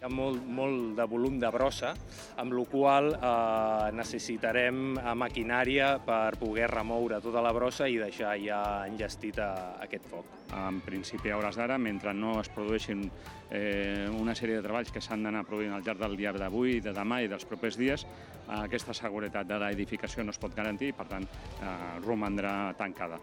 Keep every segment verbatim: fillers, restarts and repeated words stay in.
Hi ha molt, molt de volum de brossa, amb la qual cosa eh, necessitarem maquinària per poder remoure tota la brossa i deixar ja enllestit a aquest foc. En principi, a hores d'ara, mentre no es produeixin eh, una sèrie de treballs que s'han d'anar produint al llarg del dia d'avui, de demà i dels propers dies, aquesta seguretat de l'edificació no es pot garantir i, per tant, eh, romandrà tancada.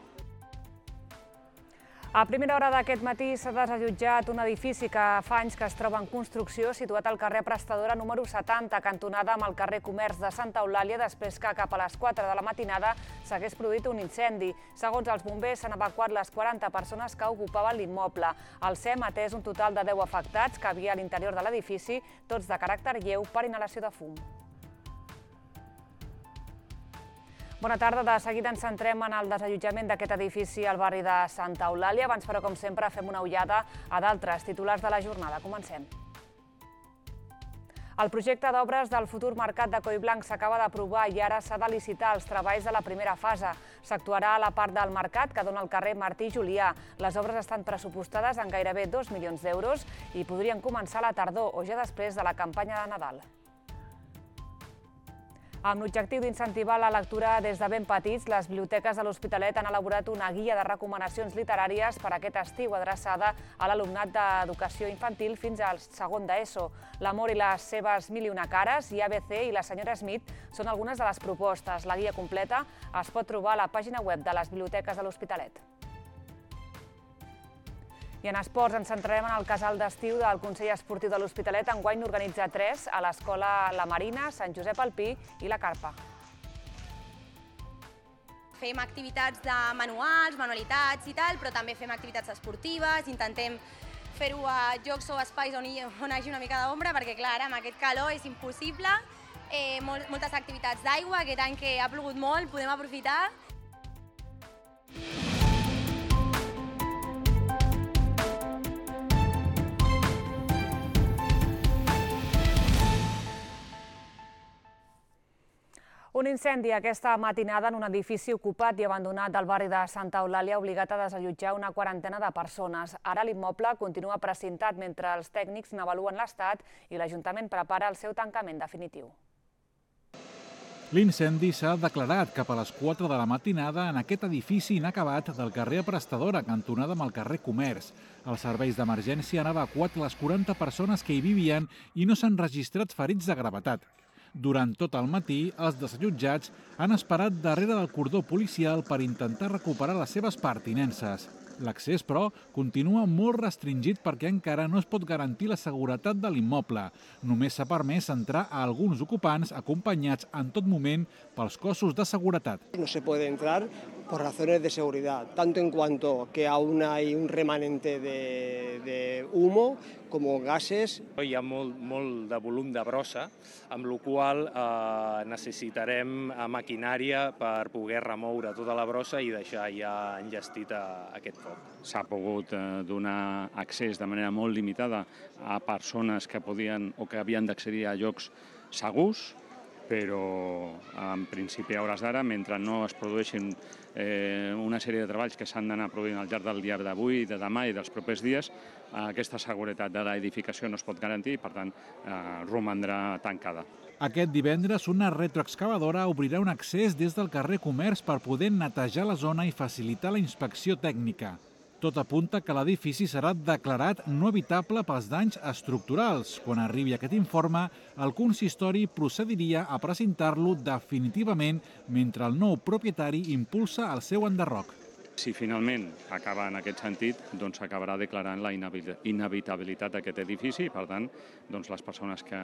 A primera hora d'aquest matí s'ha desallotjat un edifici que fa anys que es troba en construcció situat al carrer Prestadora número setanta, cantonada amb el carrer Comerç de Santa Eulàlia, després que cap a les quatre de la matinada s'hagués produït un incendi. Segons els bombers, s'han evacuat les quaranta persones que ocupaven l'immoble. El S E M ha atès un total de deu afectats que havia a l'interior de l'edifici, tots de caràcter lleu per inhalació de fum. Bona tarda. De seguida ens centrem en el desallotjament d'aquest edifici al barri de Santa Eulàlia. Abans, però, com sempre, fem una ullada a d'altres titulars de la jornada. Comencem. El projecte d'obres del futur mercat de Collblanc s'acaba d'aprovar i ara s'ha de licitar els treballs de la primera fase. S'actuarà a la part del mercat que dona al carrer Martí Julià. Les obres estan pressupostades en gairebé dos milions d'euros i podrien començar a la tardor o ja després de la campanya de Nadal. Amb l'objectiu d'incentivar la lectura des de ben petits, les biblioteques de l'Hospitalet han elaborat una guia de recomanacions literàries per aquest estiu adreçada a l'alumnat d'educació infantil fins al segon d'ESO. L'amor i les seves mil i una cares i A B C i la senyora Smith són algunes de les propostes. La guia completa es pot trobar a la pàgina web de les biblioteques de l'Hospitalet. I en esports ens centrarem en el casal d'estiu del Consell Esportiu de l'Hospitalet. Enguany n'organitza tres a l'Escola La Marina, Sant Josep Alpí i la Carpa. Fem activitats de manuals, manualitats i tal, però també fem activitats esportives, intentem fer-ho a llocs o espais on hi hagi una mica d'ombra, perquè clar, ara amb aquest calor és impossible. Moltes activitats d'aigua, aquest any que ha plogut molt, podem aprofitar. Un incendi aquesta matinada en un edifici ocupat i abandonat del barri de Santa Eulàlia ha obligat a desallotjar una quarantena de persones. Ara l'immoble continua precintat mentre els tècnics n'avaluen l'estat i l'Ajuntament prepara el seu tancament definitiu. L'incendi s'ha declarat cap a les quatre de la matinada en aquest edifici inacabat del carrer Prestadora, cantonada amb el carrer Comerç. Els serveis d'emergència han evacuat les quaranta persones que hi vivien i no s'han registrat ferits de gravetat. Durant tot el matí, els desallotjats han esperat darrere del cordó policial per intentar recuperar les seves pertinences. L'accés, però, continua molt restringit perquè encara no es pot garantir la seguretat de l'immoble. Només s'ha permès entrar a alguns ocupants acompanyats en tot moment pels cossos de seguretat. No se puede entrar por razones de seguridad, tanto en cuanto que aún hay un remanente de, de humo como gases. Hi ha molt, molt de volum de brossa, amb la qual cosa eh, necessitarem maquinària per poder remoure tota la brossa i deixar ja enllestit a aquest foc. S'ha pogut donar accés de manera molt limitada a persones que podien o que havien d'accedir a llocs segurs, però en principi a hores d'ara, mentre no es produeixin eh, una sèrie de treballs que s'han d'anar produint al llarg del dia d'avui, de demà i dels propers dies, aquesta seguretat de l'edificació no es pot garantir i, per tant, eh, romandrà tancada. Aquest divendres, una retroexcavadora obrirà un accés des del carrer Comerç per poder netejar la zona i facilitar la inspecció tècnica. Tot apunta que l'edifici serà declarat no habitable pels danys estructurals. Quan arribi aquest informe, el consistori procediria a precintar-lo definitivament mentre el nou propietari impulsa el seu enderroc. Si finalment acaba en aquest sentit, doncs s'acabarà declarant la inhabitabilitat d'aquest edifici i, per tant, doncs les persones que,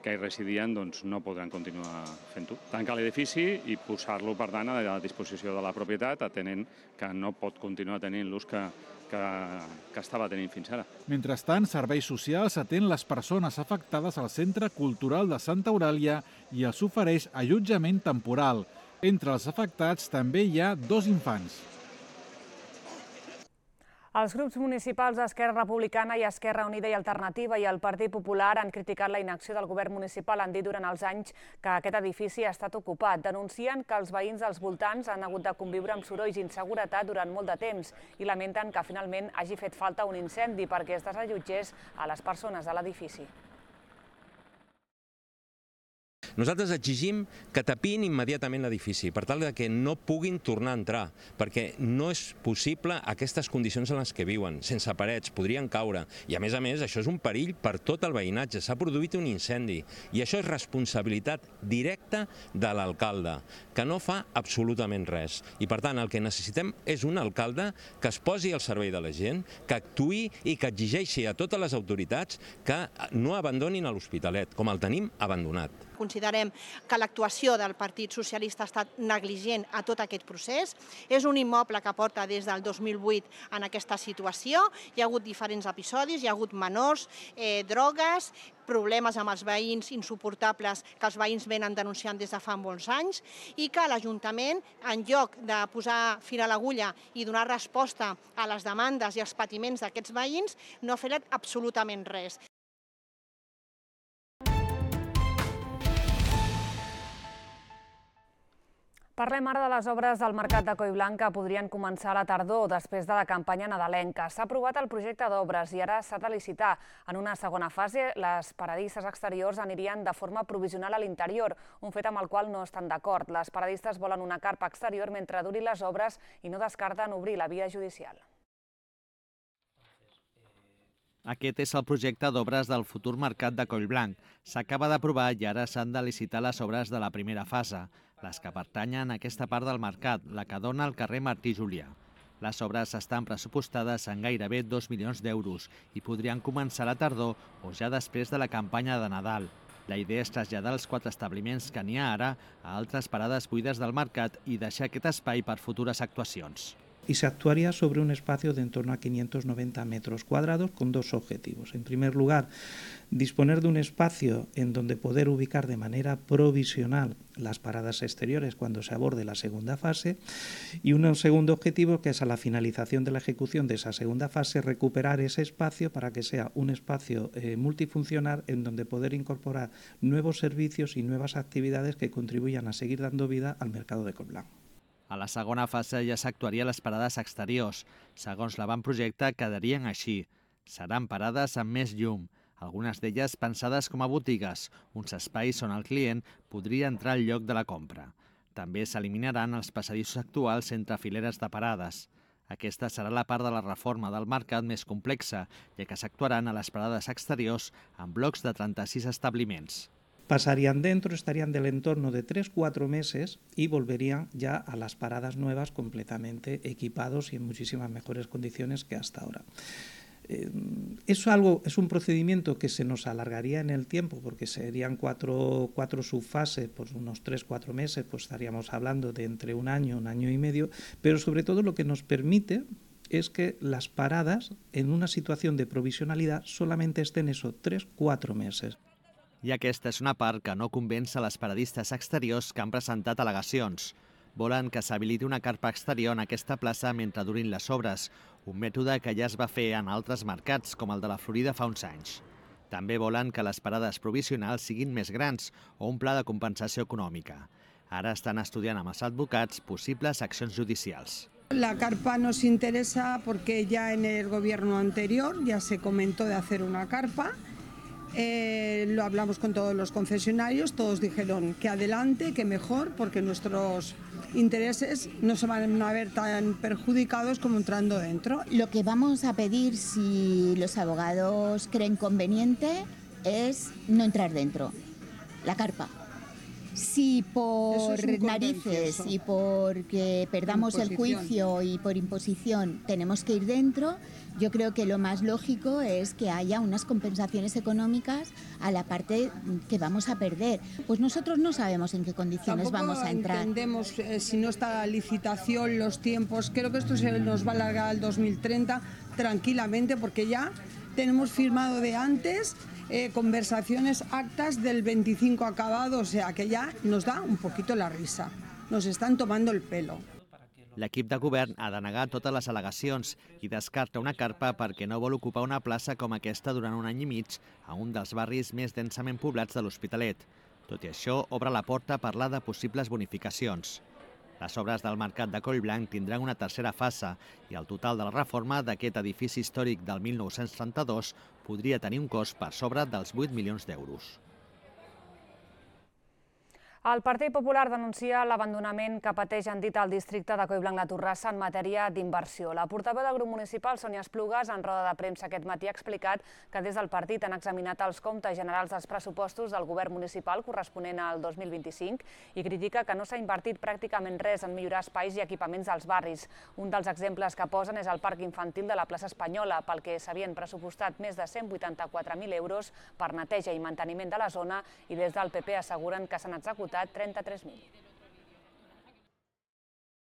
que hi residien doncs no podran continuar fent-ho. Tancar l'edifici i posar-lo, per tant, a la disposició de la propietat, atenent que no pot continuar tenint l'ús que, que, que estava tenint fins ara. Mentrestant, Serveis Socials atén les persones afectades al Centre Cultural de Santa Eulàlia i els ofereix allotjament temporal. Entre els afectats també hi ha dos infants. Els grups municipals d'Esquerra Republicana i Esquerra Unida i Alternativa i el Partit Popular han criticat la inacció del govern municipal. Han dit durant els anys que aquest edifici ha estat ocupat. Denuncien que els veïns dels voltants han hagut de conviure amb sorolls i inseguretat durant molt de temps i lamenten que finalment hagi fet falta un incendi perquè es desallotgés a les persones de l'edifici. Nosaltres exigim que tapin immediatament l'edifici per tal que no puguin tornar a entrar, perquè no és possible aquestes condicions en les que viuen, sense parets, podrien caure. I a més a més, això és un perill per tot el veïnatge, s'ha produït un incendi i això és responsabilitat directa de l'alcalde, que no fa absolutament res. I per tant, el que necessitem és un alcalde que es posi al servei de la gent, que actuï i que exigeixi a totes les autoritats que no abandonin l'Hospitalet, com el tenim abandonat. Considerem que l'actuació del Partit Socialista ha estat negligent a tot aquest procés. És un immoble que porta des del dos mil vuit en aquesta situació. Hi ha hagut diferents episodis, hi ha hagut menors, eh, drogues, problemes amb els veïns insuportables que els veïns venen denunciant des de fa molts anys i que l'Ajuntament, en lloc de posar fil a l'agulla i donar resposta a les demandes i als patiments d'aquests veïns, no ha fet absolutament res. Parlem ara de les obres del Mercat de Collblanc que podrien començar a la tardor després de la campanya nadalenca. S'ha aprovat el projecte d'obres i ara s'ha de licitar. En una segona fase, les paradisses exteriors anirien de forma provisional a l'interior, un fet amb el qual no estan d'acord. Les paradistes volen una carpa exterior mentre durin les obres i no descarten obrir la via judicial. Aquest és el projecte d'obres del futur Mercat de Collblanc. S'acaba d'aprovar i ara s'han de licitar les obres de la primera fase, les que pertanyen a aquesta part del mercat, la que dona al carrer Martí Julià. Les obres estan pressupostades en gairebé dos milions d'euros i podrien començar a la tardor o ja després de la campanya de Nadal. La idea és traslladar els quatre establiments que n'hi ha ara a altres parades buides del mercat i deixar aquest espai per futures actuacions. Y se actuaría sobre un espacio de en torno a quinientos noventa metros cuadrados con dos objetivos. En primer lugar, disponer de un espacio en donde poder ubicar de manera provisional las paradas exteriores cuando se aborde la segunda fase y un segundo objetivo que es a la finalización de la ejecución de esa segunda fase recuperar ese espacio para que sea un espacio eh, multifuncional en donde poder incorporar nuevos servicios y nuevas actividades que contribuyan a seguir dando vida al mercado de Collblanc. A la segona fase ja s'actuaria les parades exteriors. Segons l'avantprojecte, quedarien així. Seran parades amb més llum, algunes d'elles pensades com a botigues, uns espais on el client podria entrar al lloc de la compra. També s'eliminaran els passadissos actuals entre fileres de parades. Aquesta serà la part de la reforma del mercat més complexa, ja que s'actuaran a les parades exteriors en blocs de trenta-sis establiments. Pasarían dentro, estarían del entorno de tres a cuatro meses y volverían ya a las paradas nuevas completamente equipados y en muchísimas mejores condiciones que hasta ahora. Eh, es, algo, es un procedimiento que se nos alargaría en el tiempo porque serían cuatro, cuatro subfases, por unos tres a cuatro meses, pues estaríamos hablando de entre un año, un año y medio, pero sobre todo lo que nos permite es que las paradas en una situación de provisionalidad solamente estén eso, tres a cuatro meses. I aquesta és una part que no convenç a les paradistes exteriors que han presentat al·legacions. Volen que s'habiliti una carpa exterior en aquesta plaça mentre durin les obres, un mètode que ja es va fer en altres mercats, com el de la Florida fa uns anys. També volen que les parades provisionals siguin més grans o un pla de compensació econòmica. Ara estan estudiant amb els advocats possibles accions judicials. La carpa nos interesa porque ya en el gobierno anterior ya se comentó de hacer una carpa. Eh, lo hablamos con todos los concesionarios, todos dijeron que adelante, que mejor, porque nuestros intereses no se van a ver tan perjudicados como entrando dentro. Lo que vamos a pedir, si los abogados creen conveniente, es no entrar dentro, la carpa. Si por narices y porque perdamos el juicio y por imposición tenemos que ir dentro, yo creo que lo más lógico es que haya unas compensaciones económicas a la parte que vamos a perder. Pues nosotros no sabemos en qué condiciones Tampoco vamos a entrar. Entendemos eh, si no está la licitación, los tiempos. Creo que esto se nos va a alargar al dos mil treinta tranquilamente porque ya tenemos firmado de antes eh, conversaciones, actas del veinticinco acabado, o sea que ya nos da un poquito la risa. Nos están tomando el pelo. L'equip de govern ha de negar totes les al·legacions i descarta una carpa perquè no vol ocupar una plaça com aquesta durant un any i mig a un dels barris més densament poblats de l'Hospitalet. Tot i això, obre la porta a parlar de possibles bonificacions. Les obres del Mercat de Collblanc tindran una tercera fase i el total de la reforma d'aquest edifici històric del mil nou-cents trenta-dos podria tenir un cost per sobre dels vuit milions d'euros. El Partit Popular denuncia l'abandonament que pateix en dit al districte de Collblanc la Torrassa en matèria d'inversió. La portaveu del grup municipal, Sònia Esplugues, en roda de premsa aquest matí ha explicat que des del partit han examinat els comptes generals dels pressupostos del govern municipal corresponent al dos mil vint-i-cinc i critica que no s'ha invertit pràcticament res en millorar espais i equipaments dels barris. Un dels exemples que posen és el parc infantil de la plaça Espanyola, pel que s'havien pressupostat més de cent vuitanta-quatre mil euros per neteja i manteniment de la zona i des del P P asseguren que s'han executat trenta-tres mil.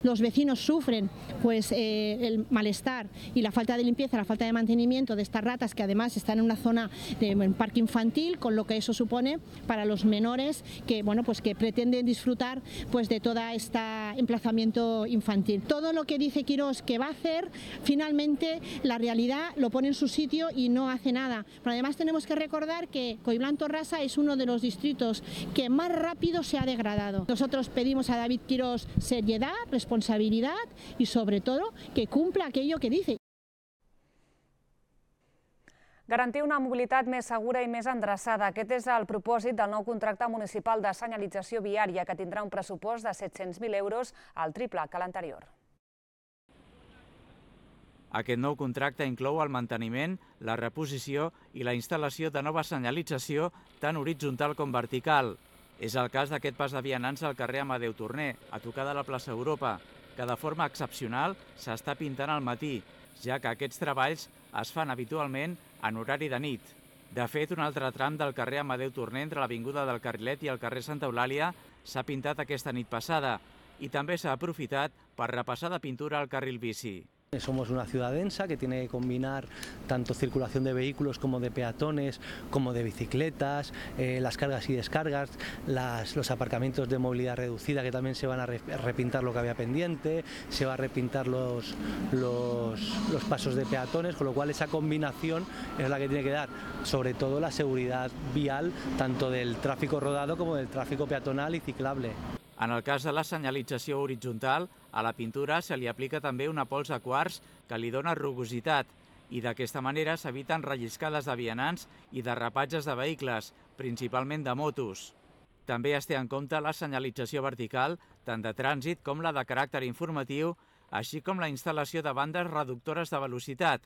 Los vecinos sufren pues, eh, el malestar y la falta de limpieza, la falta de mantenimiento de estas ratas que además están en una zona de un parque infantil, con lo que eso supone para los menores que, bueno, pues, que pretenden disfrutar pues, de todo este emplazamiento infantil. Todo lo que dice Quirós que va a hacer, finalmente la realidad lo pone en su sitio y no hace nada. Pero además tenemos que recordar que Collblanc Torrassa es uno de los distritos que más rápido se ha degradado. Nosotros pedimos a David Quirós seriedad, responsabilidad, responsabilidad y sobre todo que cumpla aquello que dice. Garantir una mobilitat més segura i més endreçada. Aquest és el propòsit del nou contracte municipal de senyalització viària que tindrà un pressupost de set-cents mil euros, al triple que l'anterior. Aquest nou contracte inclou el manteniment, la reposició i la instal·lació de nova senyalització tant horitzontal com vertical. És el cas d'aquest pas de vianants al carrer Amadeu Torner, a tocar de la plaça Europa, que de forma excepcional s'està pintant al matí, ja que aquests treballs es fan habitualment en horari de nit. De fet, un altre tram del carrer Amadeu Torner entre l'Avinguda del Carrilet i el carrer Santa Eulàlia s'ha pintat aquesta nit passada i també s'ha aprofitat per repassar de pintura el carril bici. Somos una ciudad densa que tiene que combinar tanto circulación de vehículos como de peatones, como de bicicletas, eh, las cargas y descargas, las, los aparcamientos de movilidad reducida que también se van a repintar lo que había pendiente, se va a repintar los, los, los pasos de peatones, con lo cual esa combinación es la que tiene que dar, sobre todo la seguridad vial, tanto del tráfico rodado como del tráfico peatonal y ciclable. En el cas de la senyalització horitzontal, a la pintura se li aplica també una pols de quars que li dona rugositat i d'aquesta manera s'eviten relliscades de vianants i derrapatges de vehicles, principalment de motos. També es té en compte la senyalització vertical, tant de trànsit com la de caràcter informatiu, així com la instal·lació de bandes reductores de velocitat,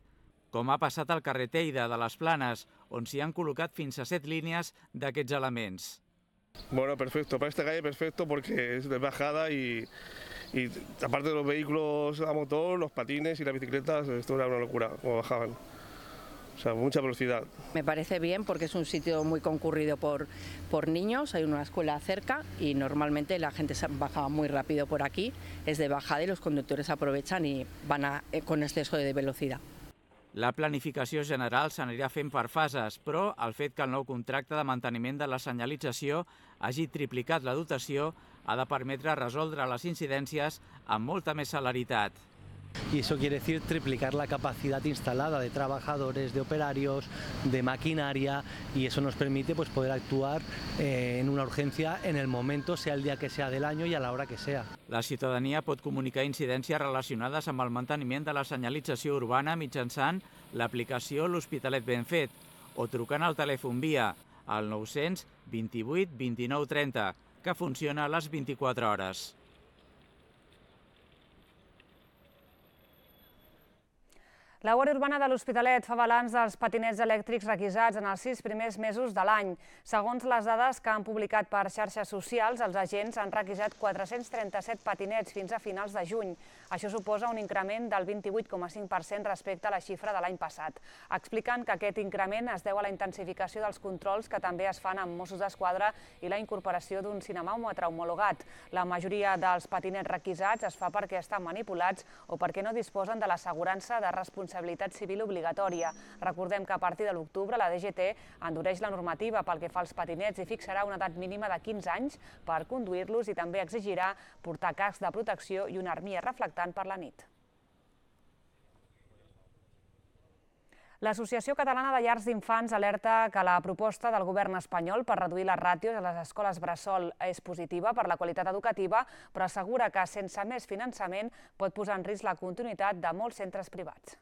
com ha passat al carrer Teide de les Planes, on s'hi han col·locat fins a set línies d'aquests elements. Bueno, perfecto. Para esta calle perfecto porque es de bajada y, y aparte de los vehículos a motor, los patines y las bicicletas, esto era una locura, como bajaban. O sea, mucha velocidad. Me parece bien porque es un sitio muy concurrido por, por niños, hay una escuela cerca y normalmente la gente baja muy rápido por aquí, es de bajada y los conductores aprovechan y van a, con exceso de velocidad. La planificació general s'anirà fent per fases, però el fet que el nou contracte de manteniment de la senyalització hagi triplicat la dotació ha de permetre resoldre les incidències amb molta més celeritat. Y eso quiere decir triplicar la capacidad instalada de trabajadores, de operarios, de maquinaria, y eso nos permite pues, poder actuar eh, en una urgencia en el momento, sea el día que sea del año y a la hora que sea. La ciutadania pot comunicar incidències relacionades amb el manteniment de la senyalització urbana mitjançant l'aplicació L'Hospitalet Ben Fet o trucant al telèfon via al nou-cents vint-i-vuit vint-i-nou trenta, que funciona a les vint-i-quatre hores. La Guàrdia Urbana de l'Hospitalet fa balanç dels patinets elèctrics requisats en els sis primers mesos de l'any. Segons les dades que han publicat per xarxes socials, els agents han requisat quatre-cents trenta-set patinets fins a finals de juny. Això suposa un increment del vint-i-vuit coma cinc per cent respecte a la xifra de l'any passat. Expliquen que aquest increment es deu a la intensificació dels controls que també es fan amb Mossos d'Esquadra i la incorporació d'un cinemòmetre homologat. La majoria dels patinets requisats es fa perquè estan manipulats o perquè no disposen de l'assegurança de responsabilitat civil obligatòria. Recordem que a partir de l'octubre la D G T endureix la normativa pel que fa als patinets i fixarà una edat mínima de quinze anys per conduir-los i també exigirà portar cascs de protecció i una armilla reflectant per la nit. L'Associació Catalana de Llars d'Infants alerta que la proposta del govern espanyol per reduir les ràtios a les escoles bressol és positiva per la qualitat educativa, però assegura que sense més finançament pot posar en risc la continuïtat de molts centres privats.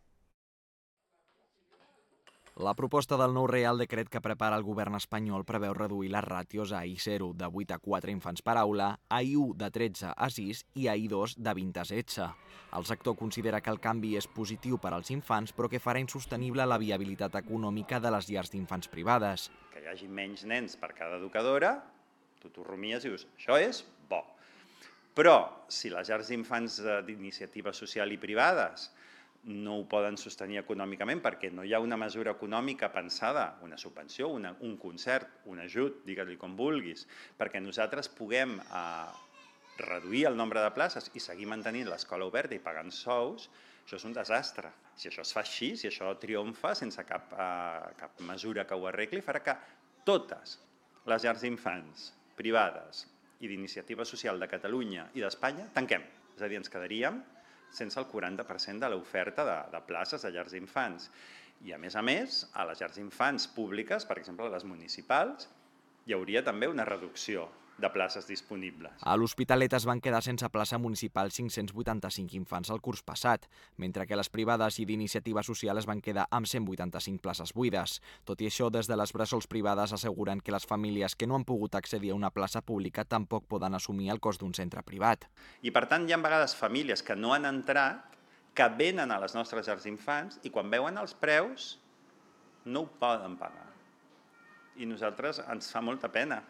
La proposta del nou Reial Decret que prepara el govern espanyol preveu reduir les ràtios a I zero de vuit a quatre infants per aula, a I u de tretze a sis i a I dos de vint a setze. El sector considera que el canvi és positiu per als infants, però que farà insostenible la viabilitat econòmica de les llars d'infants privades. Que hi hagi menys nens per cada educadora, tu t'ho rumies i dius, això és bo. Però si les llars d'infants d'iniciativa social i privades no ho poden sostenir econòmicament perquè no hi ha una mesura econòmica pensada, una subvenció, una, un concert, un ajut, digue-li com vulguis, perquè nosaltres puguem eh, reduir el nombre de places i seguir mantenint l'escola oberta i pagant sous, això és un desastre. Si això es fa així, si això triomfa sense cap, eh, cap mesura que ho arregli, farà que totes les llars d'infants privades i d'iniciativa social de Catalunya i d'Espanya tanquem. És a dir, ens quedaríem sense el quaranta per cent de l'oferta de, de places de llars d'infants. I, a més a més, a les llars d'infants públiques, per exemple, a les municipals, hi hauria també una reducció de places disponibles. A l'Hospitalet es van quedar sense plaça municipal cinc-cents vuitanta-cinc infants el curs passat, mentre que les privades i d'iniciativa social es van quedar amb cent vuitanta-cinc places buides. Tot i això, des de les bressols privades asseguren que les famílies que no han pogut accedir a una plaça pública tampoc poden assumir el cost d'un centre privat. I per tant, hi ha vegades famílies que no han entrat, que venen a les nostres llars d'infants i quan veuen els preus no ho poden pagar. I nosaltres ens fa molta pena,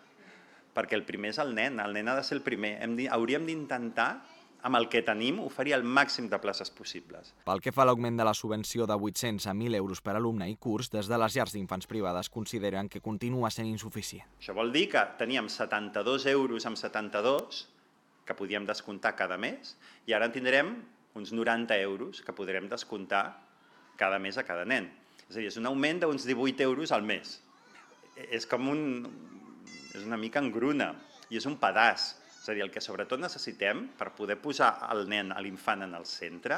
perquè el primer és el nen, el nen ha de ser el primer. Hem de, hauríem d'intentar, amb el que tenim, oferir el màxim de places possibles. Pel que fa a l'augment de la subvenció de vuit-cents a mil euros per alumne i curs, des de les llars d'infants privades consideren que continua sent insuficient. Això vol dir que teníem setanta-dos euros amb setanta-dos que podíem descomptar cada mes i ara en tindrem uns noranta euros que podrem descomptar cada mes a cada nen. És a dir, és un augment d'uns divuit euros al mes. És com un... és una mica engruna i és un pedaç. És a dir, el que sobretot necessitem per poder posar el nen, l'infant en el centre,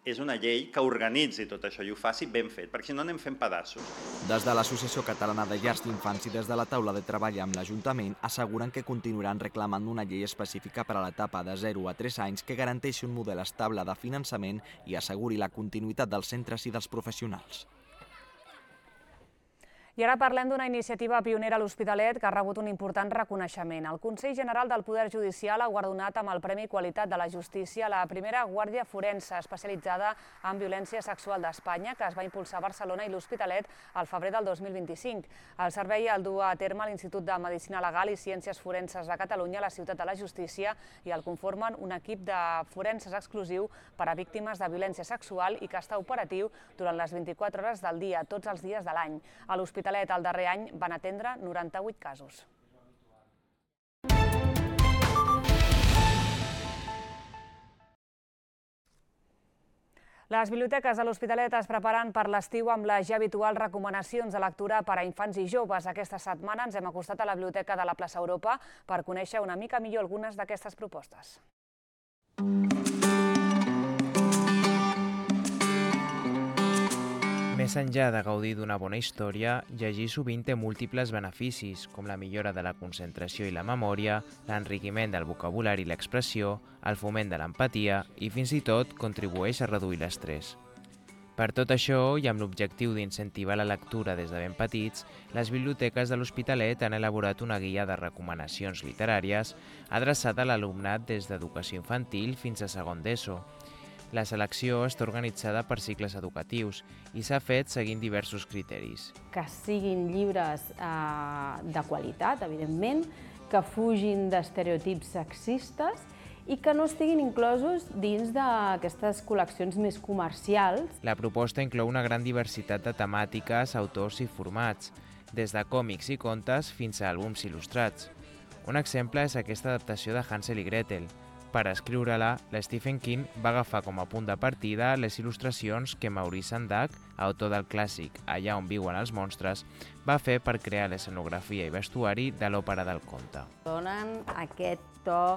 és una llei que organitzi tot això i ho faci ben fet, perquè si no anem fent pedaços. Des de l'Associació Catalana de Llars d'Infants i des de la taula de treball amb l'Ajuntament asseguren que continuaran reclamant una llei específica per a l'etapa de zero a tres anys que garanteixi un model estable de finançament i asseguri la continuïtat dels centres i dels professionals. I ara parlem d'una iniciativa pionera a l'Hospitalet que ha rebut un important reconeixement. El Consell General del Poder Judicial ha guardonat amb el Premi Qualitat de la Justícia la primera guàrdia forense especialitzada en violència sexual d'Espanya, que es va impulsar a Barcelona i l'Hospitalet al febrer del dos mil vint-i-cinc. El servei el du a terme l'Institut de Medicina Legal i Ciències Forenses de Catalunya a la Ciutat de la Justícia i el conformen un equip de forenses exclusiu per a víctimes de violència sexual i que està operatiu durant les vint-i-quatre hores del dia, tots els dies de l'any. A l'Hospitalet el darrer any van atendre noranta-vuit casos. Les biblioteques de l'Hospitalet es preparen per l'estiu amb les ja habituals recomanacions de lectura per a infants i joves. Aquesta setmana ens hem acostat a la Biblioteca de la Plaça Europa per conèixer una mica millor algunes d'aquestes propostes. Més enllà de gaudir d'una bona història, llegir sovint té múltiples beneficis, com la millora de la concentració i la memòria, l'enriquiment del vocabulari i l'expressió, el foment de l'empatia i fins i tot contribueix a reduir l'estrès. Per tot això, i amb l'objectiu d'incentivar la lectura des de ben petits, les biblioteques de l'Hospitalet han elaborat una guia de recomanacions literàries adreçada a l'alumnat des d'educació infantil fins a segon d'ESO. La selecció està organitzada per cicles educatius i s'ha fet seguint diversos criteris. Que siguin llibres eh, de qualitat, evidentment, que fugin d'estereotips sexistes i que no estiguin inclosos dins d'aquestes col·leccions més comercials. La proposta inclou una gran diversitat de temàtiques, autors i formats, des de còmics i contes fins a àlbums il·lustrats. Un exemple és aquesta adaptació de Hansel i Gretel. Per escriure-la, Stephen King va agafar com a punt de partida les il·lustracions que Maurice Sendak, autor del clàssic Allà on viuen els monstres, va fer per crear l'escenografia i vestuari de l'òpera del conte. Donen aquest to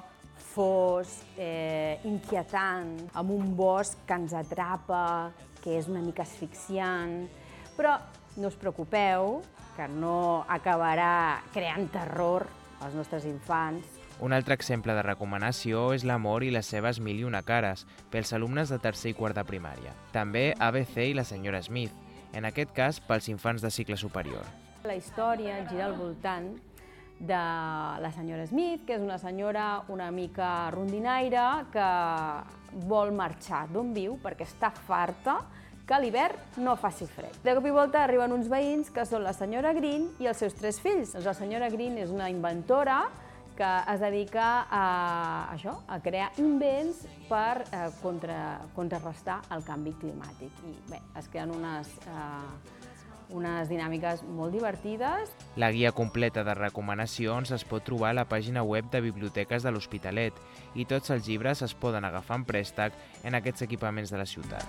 fosc, eh, inquietant, amb un bosc que ens atrapa, que és una mica asfixiant, però no us preocupeu, que no acabarà creant terror als nostres infants. Un altre exemple de recomanació és L'amor i les seves mil i una cares, pels alumnes de tercer i quart de primària. També A B C i la senyora Smith, en aquest cas pels infants de cicle superior. La història gira al voltant de la senyora Smith, que és una senyora una mica rondinaire que vol marxar d'on viu perquè està farta que a l'hivern no faci fred. De cop i volta arriben uns veïns que són la senyora Green i els seus tres fills. La senyora Green és una inventora que es dedica a, això, a crear invents per eh, contra, contrarrestar el canvi climàtic. I bé, es creen unes, eh, unes dinàmiques molt divertides. La guia completa de recomanacions es pot trobar a la pàgina web de Biblioteques de l'Hospitalet i tots els llibres es poden agafar en préstec en aquests equipaments de la ciutat.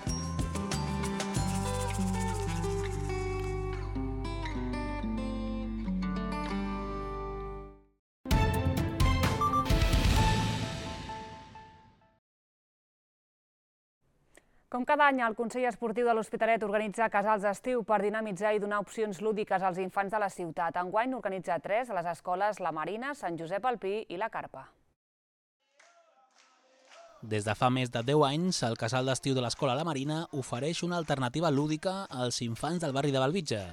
Com cada any, el Consell Esportiu de l'Hospitalet organitza casals d'estiu per dinamitzar i donar opcions lúdiques als infants de la ciutat. Enguany n'organitza tres a les escoles La Marina, Sant Josep al Pi i La Carpa. Des de fa més de deu anys, el casal d'estiu de l'Escola La Marina ofereix una alternativa lúdica als infants del barri de Bellvitge.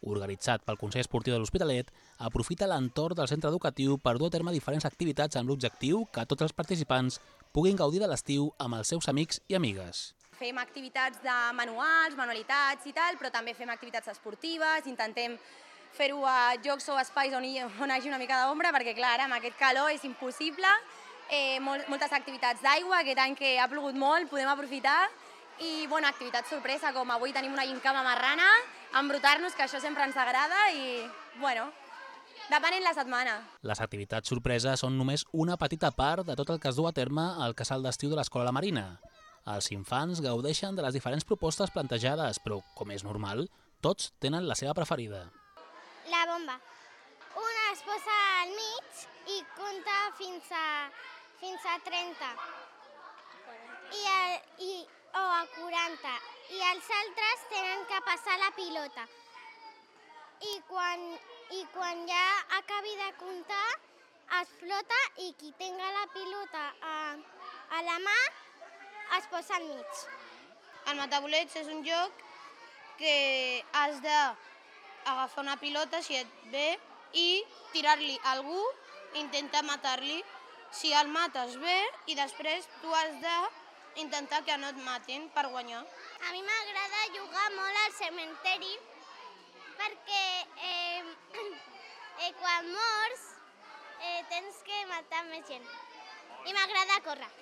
Organitzat pel Consell Esportiu de l'Hospitalet, aprofita l'entorn del centre educatiu per dur a terme diferents activitats amb l'objectiu que tots els participants puguin gaudir de l'estiu amb els seus amics i amigues. Fem activitats de manuals, manualitats i tal, però també fem activitats esportives, intentem fer-ho a jocs o espais on hi, on hi hagi una mica d'ombra, perquè clar, amb aquest calor és impossible. Eh, molt, moltes activitats d'aigua, aquest any que ha plogut molt, podem aprofitar. I bueno, activitats sorpresa, com avui tenim una gincama marrana, embrutar-nos, que això sempre ens agrada i bueno, depenent la setmana. Les activitats sorpresa són només una petita part de tot el que es du a terme al casal d'estiu de l'Escola La Marina. Els infants gaudeixen de les diferents propostes plantejades, però, com és normal, tots tenen la seva preferida. La bomba. Una es posa al mig i compta fins a, fins a trenta. I, el, i, o a quaranta. I els altres tenen que passar la pilota. I quan, i quan ja acabi de comptar, es flota i qui tenga la pilota a, a la mà es posa al mig. El matabolets és un joc que has d'agafar una pilota, si et ve, i tirar-li a algú, intentar matar-li. Si el mates bé, i després tu has d'intentar que no et matin per guanyar. A mi m'agrada jugar molt al cementeri perquè eh, eh, quan mors eh, tens que matar més gent. I m'agrada córrer.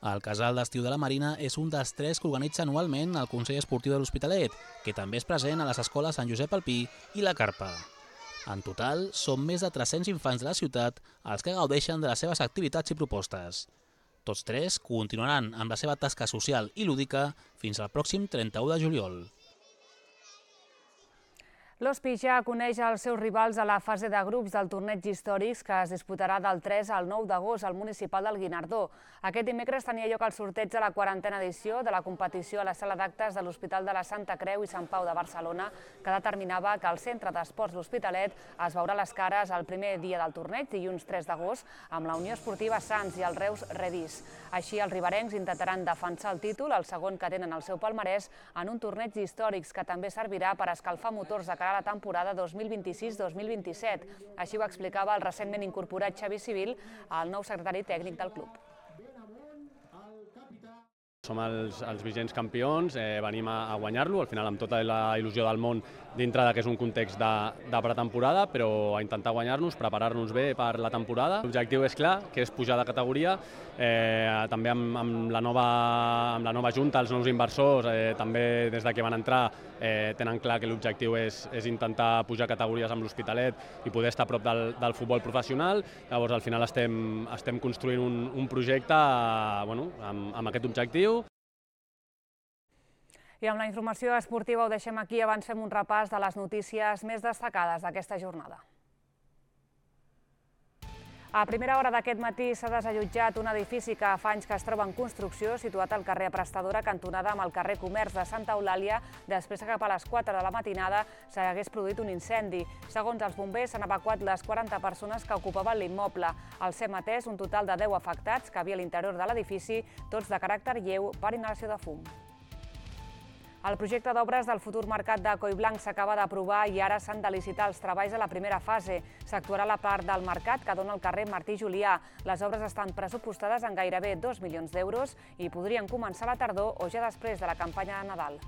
El casal d'estiu de la Marina és un dels tres que organitza anualment el Consell Esportiu de l'Hospitalet, que també és present a les escoles Sant Josep al Pi i La Carpa. En total, són més de tres-cents infants de la ciutat els que gaudeixen de les seves activitats i propostes. Tots tres continuaran amb la seva tasca social i lúdica fins al pròxim trenta-u de juliol. L'Hospi ja coneix els seus rivals a la fase de grups del torneig històrics que es disputarà del tres al nou d'agost al municipal del Guinardó. Aquest dimecres tenia lloc el sorteig de la quarantena edició de la competició a la sala d'actes de l'Hospital de la Santa Creu i Sant Pau de Barcelona, que determinava que el Centre d'Esports l'Hospitalet es veurà les cares el primer dia del torneig, dilluns tres d'agost, amb la Unió Esportiva Sants i el Reus Redís. Així, els riberencs intentaran defensar el títol, el segon que tenen al seu palmarès, en un torneig històrics que també servirà per escalfar motors de cara a la temporada dos mil vint-i-sis dos mil vint-i-set. Així ho explicava el recentment incorporat Xavi Civil, el nou secretari tècnic del club. Som els, els vigents campions, eh, venim a, a guanyar-lo, al final amb tota la il·lusió del món dintre de que és un context de, de pretemporada, però a intentar guanyar-nos, preparar-nos bé per la temporada. L'objectiu és clar, que és pujar de categoria, eh, també amb, amb, la nova, amb la nova junta, els nous inversors, eh, també des de que van entrar, eh, tenen clar que l'objectiu és, és intentar pujar categories amb l'Hospitalet i poder estar a prop del, del futbol professional. Llavors al final estem, estem construint un, un projecte bueno, amb, amb aquest objectiu. I amb la informació esportiva ho deixem aquí, abans fem un repàs de les notícies més destacades d'aquesta jornada. A primera hora d'aquest matí s'ha desallotjat un edifici que fa anys que es troba en construcció, situat al carrer Prestadora, cantonada amb el carrer Comerç de Santa Eulàlia, després que cap a les quatre de la matinada s'hagués produït un incendi. Segons els bombers, s'han evacuat les quaranta persones que ocupaven l'immoble. Al ser atès un total de deu afectats que havia a l'interior de l'edifici, tots de caràcter lleu per inhalació de fum. El projecte d'obres del futur mercat de Collblanc s'acaba d'aprovar i ara s'han de licitar els treballs a la primera fase. S'actuarà la part del mercat que dona el carrer Martí Julià. Les obres estan pressupostades en gairebé dos milions d'euros i podrien començar a la tardor o ja després de la campanya de Nadal.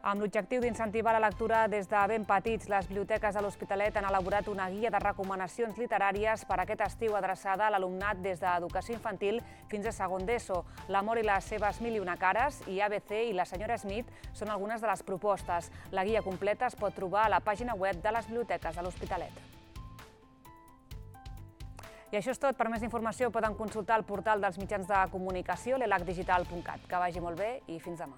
Amb l'objectiu d'incentivar la lectura des de ben petits, les biblioteques de l'Hospitalet han elaborat una guia de recomanacions literàries per aquest estiu adreçada a l'alumnat des d'educació infantil fins a segon d'ESO. L'amor i les seves mil i una cares i A B C i la senyora Smith són algunes de les propostes. La guia completa es pot trobar a la pàgina web de les biblioteques de l'Hospitalet. I això és tot. Per més informació poden consultar el portal dels mitjans de comunicació, l'elac digital punt cat. Que vagi molt bé i fins demà.